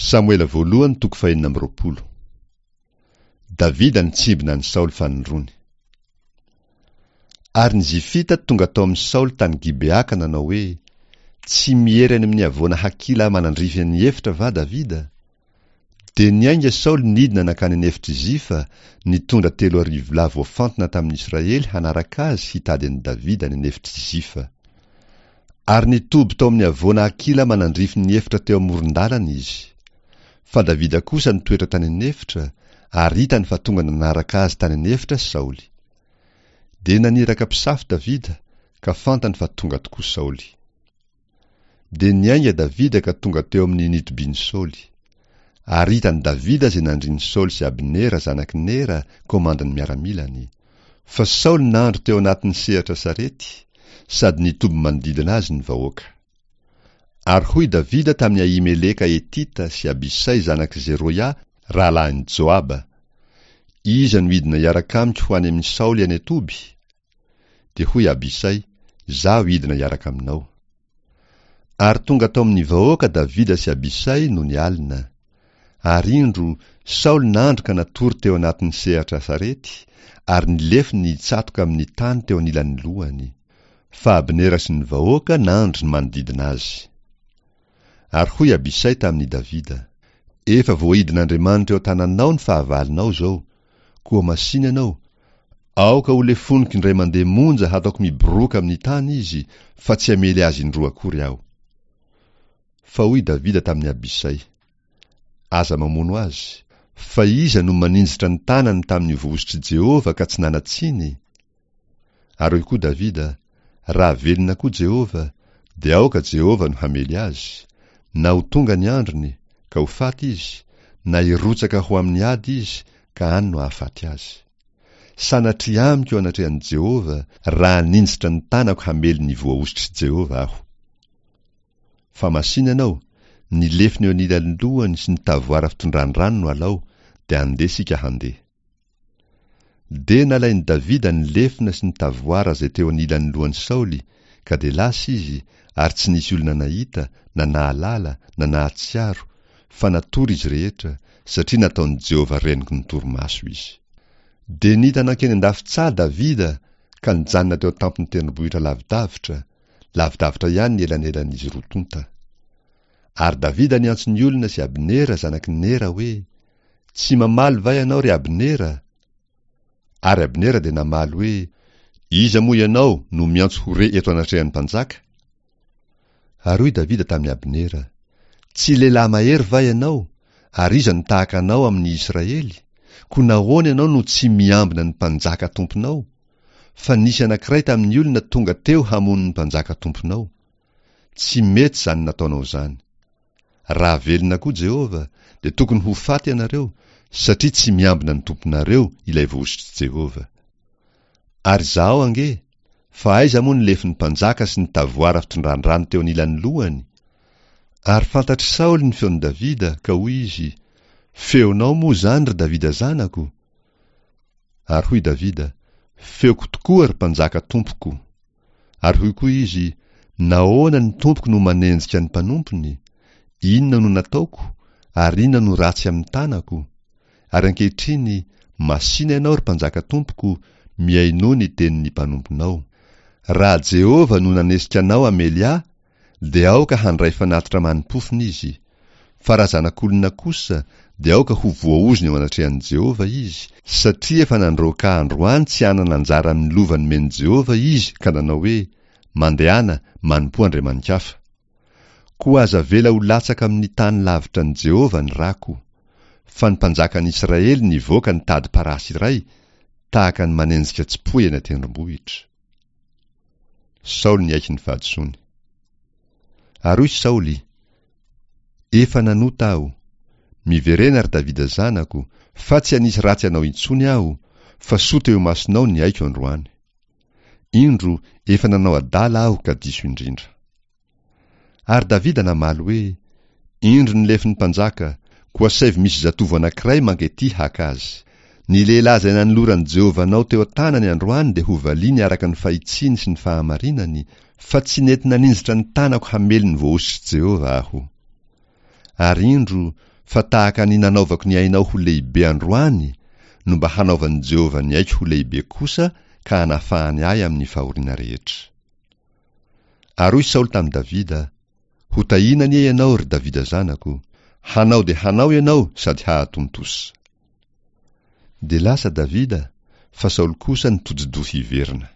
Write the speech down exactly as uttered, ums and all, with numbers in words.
Samoela voalohany toko fahenina amby roapolo. Davida nitsimbina an'i Saoly fanindroany. Ary ny Zifita tonga tao amin'i Saoly tany Gibea ka nanao hoe, Tsy miery any amin'ny havoana Hakila manandrify ny efitra va Davida? Dia niainga Saoly nidina nankany an'efitr'i Zifa, nitondra telo arivo lahy voafantina tamin'ny Israely hanaraka azy hitady an'i Davida any an'efitr'i Zifa. Ary nitoby tao amin'ny havoana Hakila manandrify ny efitra teo amoron-dalana izy. Fa Davida kosa nitoetra tany an'efitra, ary hitany fa tonga nanaraka azy tany an'efitra Saoly. Dia naniraka mpisafo Davida, ka fantany fa tonga tokoa Saoly. Dia niainga Davida ka tonga teo amin'ny nitobian'i Saoly. Ary hitan'i Davida izay nandrin'i Saoly sy Abnera zanak'i Nera, komandin'ny miaramilany. Fa Saoly nandro teo anatin'ny sehatra sarety, sady nitoby manodidina azy ny vahoaka. Ary hoy Davida tamin'i Ahimeleka Hetita sy Abisay zanak'i Zeroia, rahalahin'i Joaba, Iza no hidina hiaraka amiko ho any amin'i Saoly any an-toby? Dia hoy Abisay, Izaho hidina hiaraka aminao. Ary tonga tao amin'ny vahoaka Davida sy Abisay nony alina. Ary indro, Saoly nandro ka natory teo anatin'ny sehatra sarety, ary ny lefony nitsatoka amin'ny tany teo anilan'ny lohany. Fa Abnera sy ny vahoaka nandro manodidina azy. Ary hoy Abisay tamin'i Davida, Efa voaidin'Andriamanitra eo an-tananao ny fahavalonao izao, koa masìna ianao, aoka ho lefoniko indray mandeha monja hataoko miboroaka amin'ny tany izy, fa tsy hamely azy indroa akory aho. Fa hoy Davida tamin'i Abisay, Aza mamono azy, fa iza no maninjitra ny tanany tamin'ny voahosotr'i Jehovah ka tsy nanan-tsiny? Ary hoy koa Davida, Raha velona koa Jehovah, dia aoka Jehovah no hamely azy, na ho tonga ny androny, ka ho faty izy, na hirotsaka ho amin'ny ady izy, ka any no hahafaty azy. Sanatria amiko eo anatrehan'i Jehovah, raha haninjitra ny tanako hamely ny voahosotr'i Jehovah aho. Fa masìna ianao, ny lefona eo anilan'ny lohany sy ny tavoara fitondran-drano no alao, dia andeha isika handeha. Dia nalain'i Davida ny lefona sy ny tavoara izay teo anilan'ny lohan'i Saoly, ka dia lasa izy, ary tsy nisy olona nahita, na nahalala, na nahatsiaro, fa natory izy rehetra, satria nataon'i Jehovah renoky ny torimaso izy. Dia nita nankeny an-dafin-tsaha Davida ka nijanona teo an-tampon'ny tendrombohitra lavidavitra, lavidavitra ihany ny elanelan'izy roa tonta. Ary Davida niantso ny olona sy Abnera zanak'i Nera hoe, Tsy mamaly va ianao, ry Abnera? Ary Abnera dia namaly hoe, Iza moa ianao no miantso ho re eto anatrehan'ny mpanjaka? Ary hoy Davida tamin'i Abnera, Tsy lehilahy mahery va ianao, ary iza no tahaka anao amin'ny Israely? Koa nahoana ianao no tsy miambina ny mpanjaka tomponao? Fa nisy anankiray tamin'ny olona tonga teo hamono ny mpanjaka tomponao. Tsy mety izany nataonao izany. Raha velona koa Jehovah, dia tokony ho faty ianareo, satria tsy miambina ny tomponareo ilay voahosotr'i Jehovah. Ary izahao ange, fa aiza moa ny lefon'ny mpanjaka sy ny tavoara fitondran-drano teo anilan'ny lohany? Ary fantatr'i Saoly ny feon'i Davida, ka hoy izy, Feonao moa izany, ry Davida zanako? Ary hoy Davida, Feoko tokoa, ry mpanjaka tompoko. Ary hoy koa izy, Nahoana ny tompoko no manenjika ny mpanompony? Inona no nataoko, ary inona no ratsy amin'ny tanako? Ary ankehitriny, masìna ianao, ry mpanjaka tompoko, mihainoa ny tenin'ny mpanomponao. Raha Jehovah no nanesika anao hamely ahy, dia aoka handray fanatitra manim-pofona izy. Fa raha zanak'olona kosa, dia aoka ho voaozona eo anatrehan'i Jehovah izy, satria efa nandroaka ahy androany tsy hanana anjara amin'ny lova nomen'i Jehovah izy ka nanao hoe, Mandehana, manompoa andriamani-kafa. Koa aza avela ho latsaka amin'ny tany lavitra an'i Jehovah ny rako. Fa ny mpanjakan'i Israely nivoaka nitady parasy iray, tahaka ny manenjika tsipoy eny an-tendrombohitra. Saoly niaiky ny fahadisoany. Ary hoy Saoly, Efa nanota aho. Miverena, ry Davida zanako, fa tsy hanisy ratsy anao intsony aho, fa soa teo imasonao ny aiko androany. Indro, efa nanao adala aho ka diso indrindra. Ary Davida namaly hoe, Indro ny lefon'ny mpanjaka, koa asaivo misy zatovo anankiray manketỳ haka azy. Ny lehilahy izay nanoloran'i Jehovah anao teo an-tanany androany dia hovaliany araka ny fahitsiany sy ny fahamarinany, fa tsy nety naninjitra ny tanako hamely ny voahosotr'i Jehovah aho. Ary indro, Fa tahaka ny nanaovako ny ainao ho lehibe androany no mba hanaovan'i Jehovah ny aiko ho lehibe kosa ka hanafahany ahy amin'ny fahoriana rehetra. Ary hoy Saoly tamin'i Davida, Hotahiana anie ianao, ry Davida zanako! Hanao dia hanao ianao sady hahatontosa. Dia lasa Davida, fa Saoly kosa nitodi-doha hiverina.